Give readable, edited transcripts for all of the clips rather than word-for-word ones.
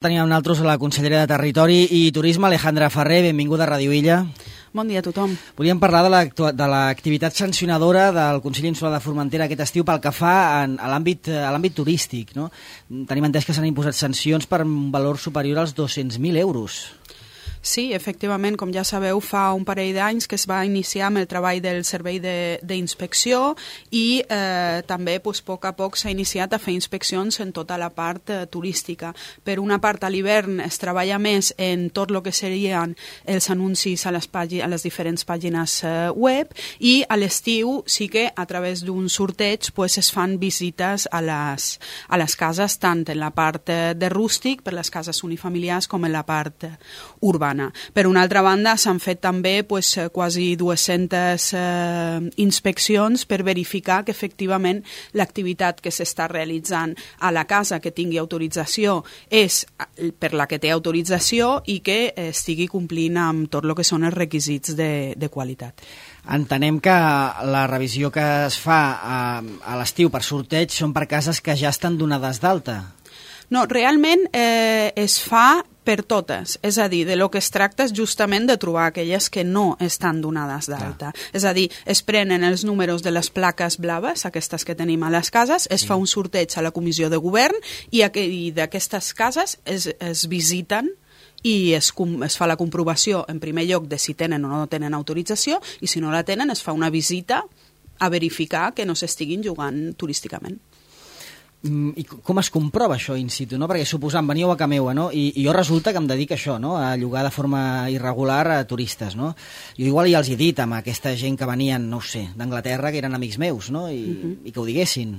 Tenim amb nosaltres la consellera de Territori i Turisme, Alejandra Ferrer. Benvinguda a Ràdio Illa. Bon dia a tothom. Volíem parlar de l'activitat sancionadora del Consell Insular de Formentera aquest estiu pel que fa a l'àmbit turístic, no? Tenim entès que s'han imposat sancions per un valor superior als 200.000 euros. Sí, efectivament, com ja sabeu, fa un parell d'anys que es va iniciar amb el treball del servei d'inspecció i també a poc a poc s'ha iniciat a fer inspeccions en tota la part turística. Per una part, a l'hivern es treballa més en tot el que serien els anuncis a les diferents pàgines web i a l'estiu sí que a través d'un sorteig es fan visites a les cases, tant en la part de rústic, per les cases unifamiliars, com en la part urbana. Per una altra banda, s'han fet també quasi 200 inspeccions per verificar que efectivament l'activitat que s'està realitzant a la casa que tingui autorització és per la que té autorització i que estigui complint amb tot el que són els requisits de qualitat. Entenem que la revisió que es fa a l'estiu per sorteig són per cases que ja estan donades d'alta. No, realment es fa per totes, és a dir, de lo que es tracta és justament de trobar aquelles que no estan donades d'alta. És a dir, es prenen els números de les plaques blaves, aquestes que tenim a les cases, es fa un sorteig a la comissió de govern i d'aquestes cases es visiten i es fa la comprovació en primer lloc de si tenen o no tenen autorització i si no la tenen es fa una visita a verificar que no s'estiguin jugant turísticament. I com es comprova això in situ, no? Perquè suposant, veníeu a Cameua, no? I jo resulta que em dedico a això, no? A llogar de forma irregular a turistes, no? Jo igual ja els he dit amb aquesta gent que venien, no ho sé, d'Anglaterra, que eren amics meus, no? I que ho diguessin.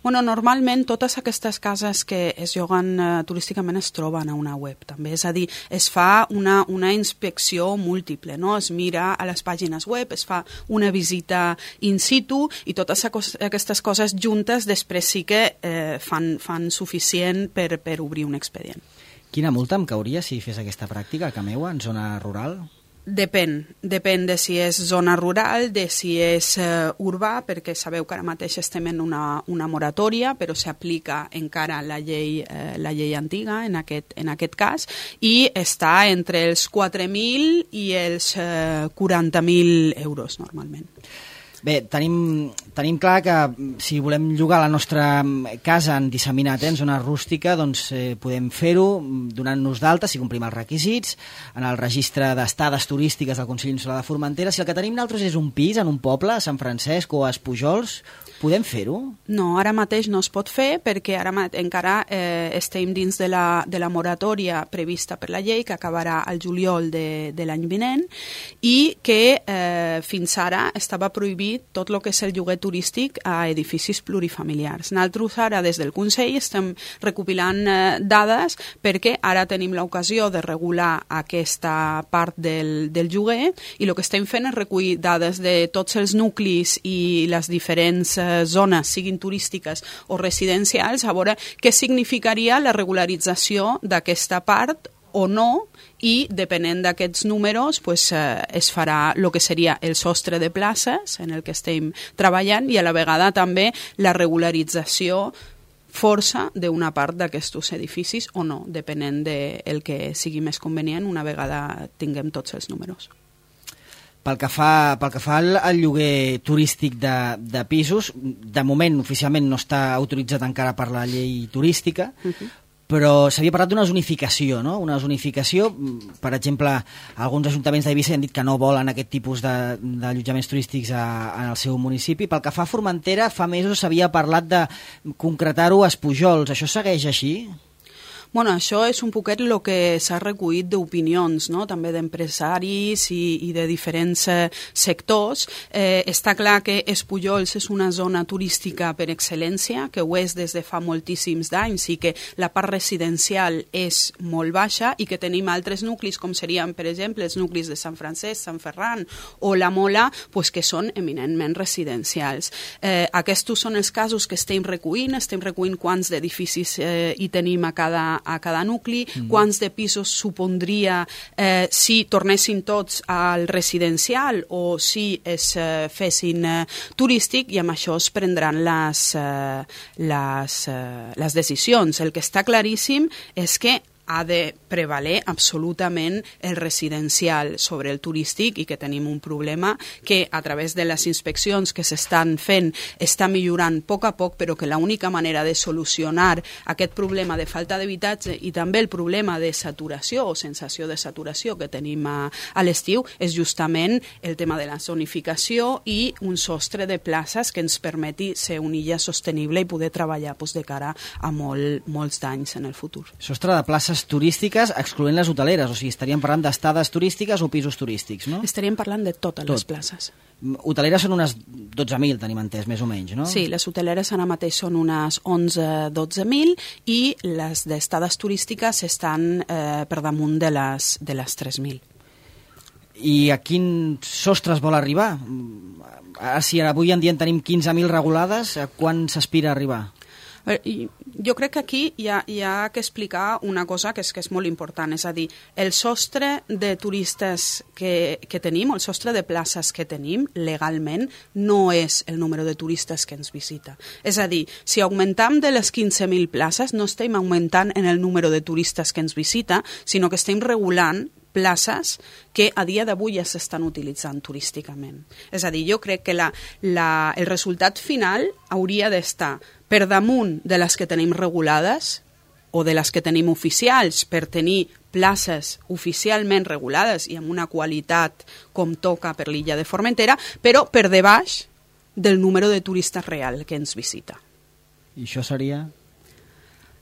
Bueno, normalment totes aquestes cases que es lloguen turísticament es troben a una web també, és a dir, es fa una inspecció múltiple, no? Es mira a les pàgines web, es fa una visita in situ i totes aquestes coses juntes després sí que fan suficient per obrir un expedient. Quina multa em cauria si fes aquesta pràctica a Cameua, en zona rural? Depèn de si és zona rural, de si és urbà, perquè sabeu que ara mateix estem en una moratòria, però s'aplica encara la llei antiga en aquest cas, i està entre els 4.000 i els 40.000 euros normalment. Bé, tenim clar que si volem llogar la nostra casa en disseminat, en zona rústica, doncs podem fer-ho donant-nos d'alta, si complim els requisits, en el registre d'estades turístiques del Consell Insular de Formentera. Si el que tenim nosaltres és un pis en un poble, a Sant Francesc o a Espujols, podem fer-ho? No, ara mateix no es pot fer perquè encara estem dins de la moratòria prevista per la llei que acabarà al juliol de l'any vinent i que fins ara estava prohibit tot el que és el lloguer turístic a edificis plurifamiliars. Nosaltres ara des del Consell estem recopilant dades perquè ara tenim l'ocasió de regular aquesta part del lloguer i el que estem fent és recollir dades de tots els nuclis i les diferents zones, siguin turístiques o residencials, a veure què significaria la regularització d'aquesta part o no, i depenent d'aquests números es farà el que seria el sostre de places en el que estem treballant i a la vegada també la regularització força d'una part d'aquests edificis o no, depenent del que sigui més convenient una vegada tinguem tots els números. Pel que fa al lloguer turístic de pisos, de moment oficialment no està autoritzat encara per la llei turística, però s'havia parlat d'una zonificació, no? Una zonificació, per exemple, alguns ajuntaments d'Eivissa han dit que no volen aquest tipus d'allotjaments turístics en el seu municipi. Pel que fa a Formentera, fa mesos s'havia parlat de concretar-ho a Espujols. Això segueix així? Bueno, això és un poquet el que s'ha recollit d'opinions, no? També d'empresaris i de diferents sectors. Està clar que Espujols és una zona turística per excel·lència, que ho és des de fa moltíssims d'anys i que la part residencial és molt baixa i que tenim altres nuclis, com serien, per exemple, els nuclis de Sant Francesc, Sant Ferran o la Mola, que són eminentment residencials. Aquests són els casos que estem recollint quants d'edificis hi tenim a cada nucli, quants de pisos supondria si tornessin tots al residencial o si es fessin turístic, i amb això es prendran les decisions. El que està claríssim és que ha de prevaler absolutament el residencial sobre el turístic i que tenim un problema que a través de les inspeccions que s'estan fent està millorant a poc, però que l'única manera de solucionar aquest problema de falta d'habitatge i també el problema de saturació o sensació de saturació que tenim a l'estiu és justament el tema de la zonificació i un sostre de places que ens permeti ser una illa sostenible i poder treballar de cara a molts d'anys en el futur. Sostre de places turístiques excloent les hoteleres, o sigui, estaríem parlant d'estades turístiques o pisos turístics, no? Estaríem parlant de totes les places. Hoteleres són unes 12.000, tenim entès, més o menys, no? Sí, les hoteleres ara mateix són unes 11-12.000 i les d'estades turístiques estan per damunt de les 3.000. I a quin sostre es vol arribar? Si avui en dia en tenim 15.000 regulades, a quan s'aspira a arribar? Jo crec que aquí hi ha que explicar una cosa que és molt important, és a dir, el sostre de turistes que tenim, el sostre de places que tenim legalment no és el número de turistes que ens visita. És a dir, si augmentem de les 15.000 places, no estem augmentant en el número de turistes que ens visita, sinó que estem regulant places que a dia d'avui ja s'estan utilitzant turísticament. És a dir, jo crec que el resultat final hauria d'estar per damunt de les que tenim regulades o de les que tenim oficials per tenir places oficialment regulades i amb una qualitat com toca per l'illa de Formentera, però per debaix del número de turistes real que ens visita. I això seria...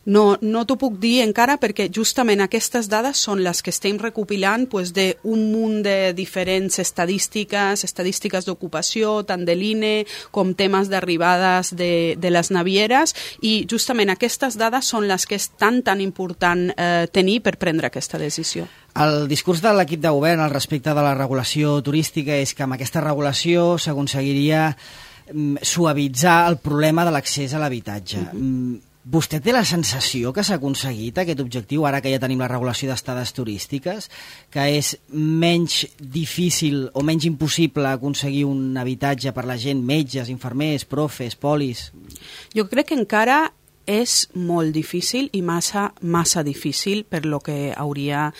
No t'ho puc dir encara perquè justament aquestes dades són les que estem recopilant d'un munt de diferents estadístiques d'ocupació, tant de l'INE com temes d'arribades de les navieres i justament aquestes dades són les que és tan important tenir per prendre aquesta decisió. El discurs de l'equip de govern al respecte de la regulació turística és que amb aquesta regulació s'aconseguiria suavitzar el problema de l'accés a l'habitatge. Vostè té la sensació que s'ha aconseguit aquest objectiu, ara que ja tenim la regulació d'estades turístiques, que és menys difícil o menys impossible aconseguir un habitatge per la gent, metges, infermers, profes, polis? Jo crec que encara és molt difícil i massa difícil per lo que hauria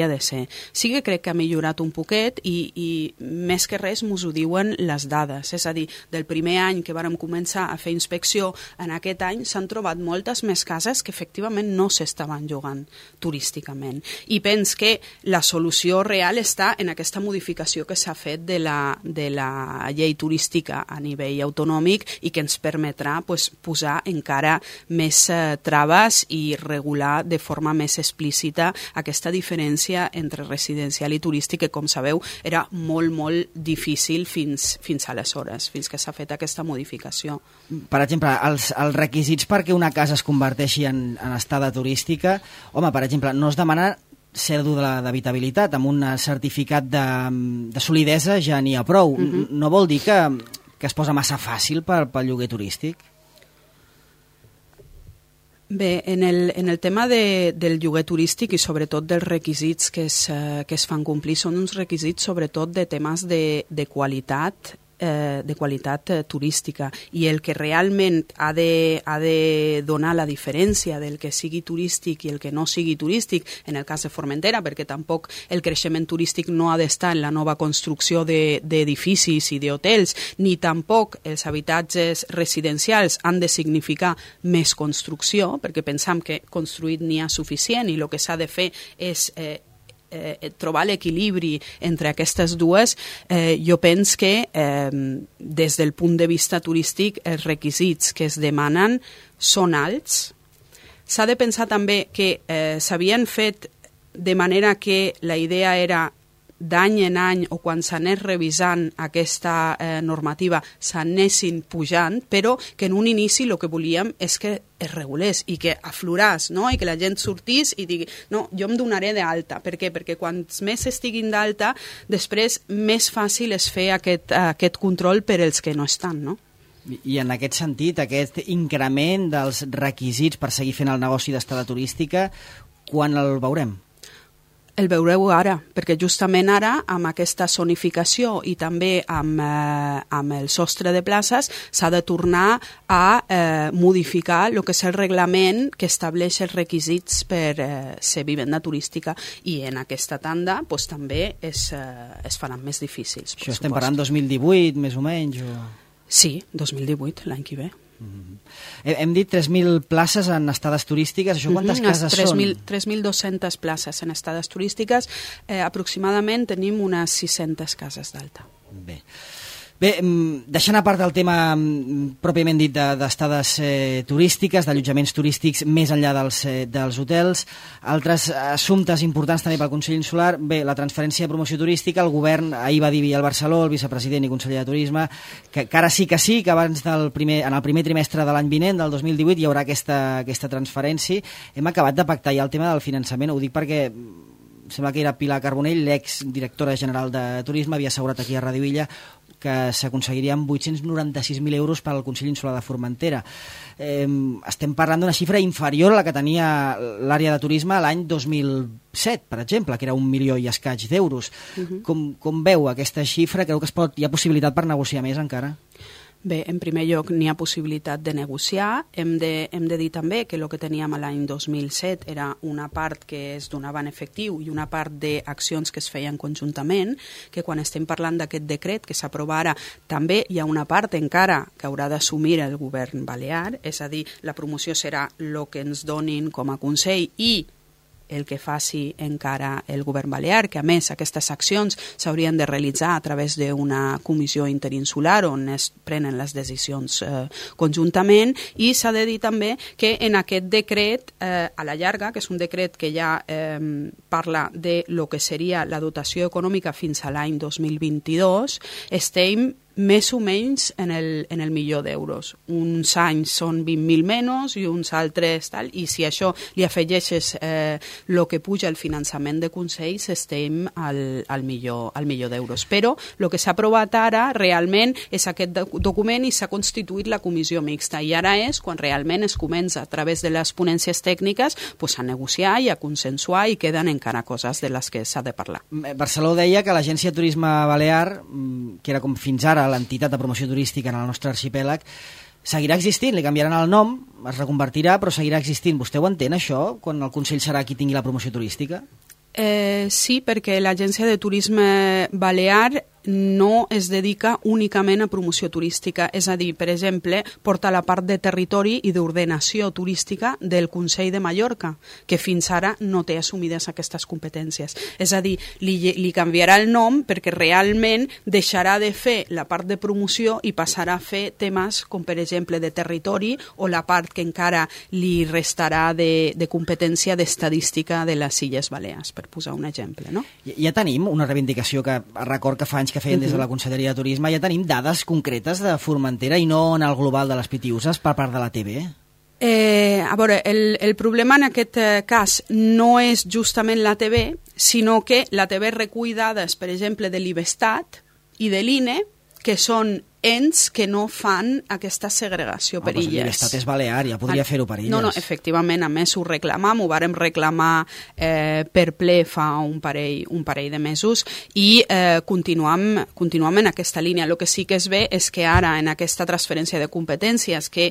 de ser. Sí que crec que ha millorat un poquet i més que res mos ho diuen les dades. És a dir, del primer any que vàrem començar a fer inspecció, en aquest any s'han trobat moltes més cases que efectivament no s'estaven llogant turísticament. I pens que la solució real està en aquesta modificació que s'ha fet de la llei turística a nivell autonòmic i que ens permetrà posar encara més traves i regular de forma més explícita aquesta diferència entre residencial i turístic que, com sabeu, era molt, molt difícil fins aleshores, fins que s'ha fet aquesta modificació. Per exemple, els requisits perquè una casa es converteixi en estada turística, home, per exemple, no es demana cèdula d'habitabilitat, amb un certificat de solidesa ja n'hi ha prou. No vol dir que es posa massa fàcil pel lloguer turístic? Bé, en el tema del lloguer turístic i sobretot dels requisits que es fan complir són uns requisits sobretot de temes de qualitat turística i el que realment ha de donar la diferència del que sigui turístic i el que no sigui turístic en el cas de Formentera, perquè tampoc el creixement turístic no ha d'estar en la nova construcció d'edificis i d'hotels, ni tampoc els habitatges residencials han de significar més construcció, perquè pensam que construït n'hi ha suficient i el que s'ha de fer és trobar l'equilibri entre aquestes dues. Jo penso que des del punt de vista turístic els requisits que es demanen són alts. S'ha de pensar també que s'havien fet de manera que la idea era d'any en any o quan s'anés revisant aquesta normativa s'anessin pujant, però que en un inici el que volíem és que es regulés i que afloràs, no? I que la gent sortís i digui, no, jo em donaré d'alta. Per què? Perquè quants més estiguin d'alta, després més fàcil és fer aquest control per als que no estan, no? I en aquest sentit, aquest increment dels requisits per seguir fent el negoci d'estada turística, quan el veurem? El veureu ara, perquè justament ara, amb aquesta zonificació i també amb el sostre de places, s'ha de tornar a modificar el que és el reglament que estableix els requisits per ser vivenda turística, i en aquesta tanda pues, també es faran més difícils. Això estem parlant 2018, més o menys? O... Sí, 2018, l'any que ve. Hem dit 3.000 places en estades turístiques. Això quantes cases són? 3.200 places en estades turístiques. Aproximadament tenim unes 600 cases d'alta. Bé, deixant a part el tema pròpiament dit d'estades turístiques, d'allotjaments turístics més enllà dels hotels, altres assumptes importants també pel Consell Insular. Bé, la transferència de promoció turística, el govern ahir va dir al Barceló, el vicepresident i conseller de Turisme, que ara sí que abans en el primer trimestre de l'any vinent, del 2018, hi haurà aquesta transferència. Hem acabat de pactar ja el tema del finançament, ho dic perquè sembla que era Pilar Carbonell, l'exdirectora general de Turisme, havia assegurat aquí a Radio Illa que s'aconseguirien 896.000 euros per al Consell Insular de Formentera. Estem parlant d'una xifra inferior a la que tenia l'àrea de turisme l'any 2007, per exemple, que era 1 milió i escaig d'euros. Com veu aquesta xifra? Creu que hi ha possibilitat per negociar més encara? Bé, en primer lloc, n'hi ha possibilitat de negociar. Hem de dir també que el que teníem l'any 2007 era una part que es donava en efectiu i una part d'accions que es feien conjuntament, que quan estem parlant d'aquest decret que s'aprova ara, també hi ha una part encara que haurà d'assumir el govern balear, és a dir, la promoció serà el que ens donin com a Consell i el que faci encara el govern balear, que a més aquestes accions s'haurien de realitzar a través d'una comissió interinsular on es prenen les decisions conjuntament, i s'ha de dir també que en aquest decret, a la llarga, que és un decret que ja parla de lo que seria la dotació econòmica fins a l'any 2022, estem més o menys en el milió d'euros. Uns anys són 20.000 menys i uns altres tal, i si això li afegeixes el que puja el finançament de consells, estem al milió d'euros. Però el que s'ha aprovat ara realment és aquest document i s'ha constituït la comissió mixta, i ara és quan realment es comença a través de les ponències tècniques pues, a negociar i a consensuar, i queden encara coses de les que s'ha de parlar. Barceló deia que l'Agència de Turisme Balear, que era com fins ara l'entitat de promoció turística en el nostre arxipèlag, seguirà existint, li canviaran el nom, es reconvertirà, però seguirà existint. Vostè ho entén, això, quan el Consell serà qui tingui la promoció turística? Sí, perquè l'Agència de Turisme Balear no es dedica únicament a promoció turística, és a dir, per exemple, porta la part de territori i d'ordenació turística del Consell de Mallorca, que fins ara no té assumides aquestes competències. És a dir, li canviarà el nom perquè realment deixarà de fer la part de promoció i passarà a fer temes com, per exemple, de territori, o la part que encara li restarà de competència d'estadística de les Illes Balears, per posar un exemple, no? Ja tenim una reivindicació que record que fa anys que feien des de la Conselleria de Turisme, ja tenim dades concretes de Formentera i no en el global de les Pitiüses per part de la TV? A veure, el problema en aquest cas no és justament la TV, sinó que la TV recull dades, per exemple, de l'IBESTAT i de l'INE, que són ens que no fan aquesta segregació per illes. L'Estat és balear, ja podria fer-ho per illes. No, efectivament, a més ho reclamam, ho vàrem reclamar per ple fa un parell de mesos, i continuam en aquesta línia. El que sí que es ve és que ara, en aquesta transferència de competències, que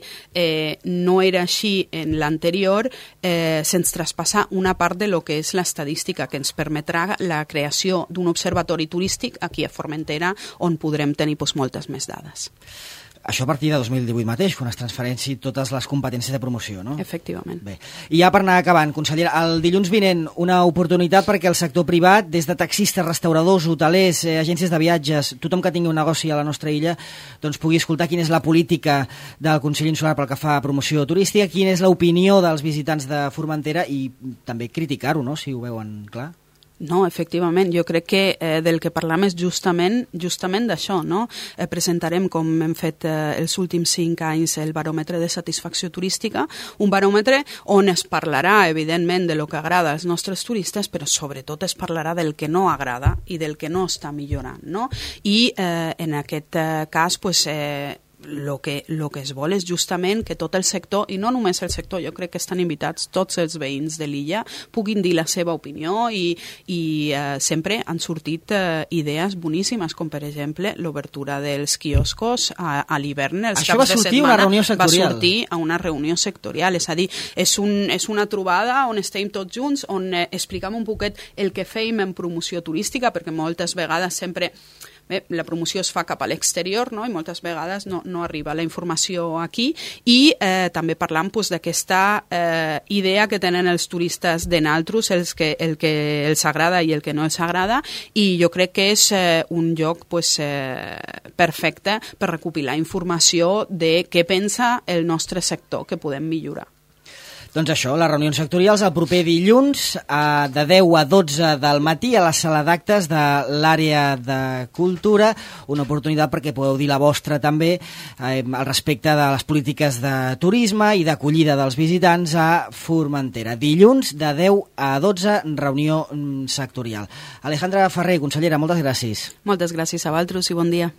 no era així en l'anterior, se'ns traspassa una part de lo que és l'estadística, que ens permetrà la creació d'un observatori turístic aquí a Formentera, on podrem tenir moltes més dades. Això a partir de 2018 mateix, quan es transfereixin totes les competències de promoció, no? Efectivament. Bé. I ja per anar acabant, consellera, el dilluns vinent una oportunitat perquè el sector privat, des de taxistes, restauradors, hotelers, agències de viatges, tothom que tingui un negoci a la nostra illa, doncs pugui escoltar quina és la política del Consell Insular pel que fa a promoció turística, quina és l'opinió dels visitants de Formentera i també criticar-ho, no?, si ho veuen clar. No, efectivament, jo crec que del que parlam és justament d'això, no? Presentarem, com hem fet els últims 5 anys, el baròmetre de satisfacció turística, un baròmetre on es parlarà, evidentment, de lo que agrada als nostres turistes, però sobretot es parlarà del que no agrada i del que no està millorant, no? I en aquest cas, pues, que es vol és justament que tot el sector, i no només el sector, jo crec que estan invitats tots els veïns de l'illa, puguin dir la seva opinió i sempre han sortit idees boníssimes, com per exemple l'obertura dels quioscos a l'hivern. Això va sortir a una reunió sectorial. Va sortir a una reunió sectorial, és a dir, és una trobada on estem tots junts, on expliquem un poquet el que fèiem en promoció turística, perquè moltes vegades sempre la promoció es fa cap a l'exterior, no? I moltes vegades no arriba la informació aquí, i també parlant d'aquesta idea que tenen els turistes de naltros, el que els agrada i el que no els agrada, i jo crec que és un lloc perfecte per recopilar informació de què pensa el nostre sector que podem millorar. Doncs això, les reunions sectorials el proper dilluns de 10 a 12 del matí a la sala d'actes de l'àrea de cultura, una oportunitat perquè podeu dir la vostra també al respecte de les polítiques de turisme i d'acollida dels visitants a Formentera. Dilluns de 10 a 12, reunió sectorial. Alejandra Ferrer, consellera, moltes gràcies. Moltes gràcies a vosaltres i bon dia.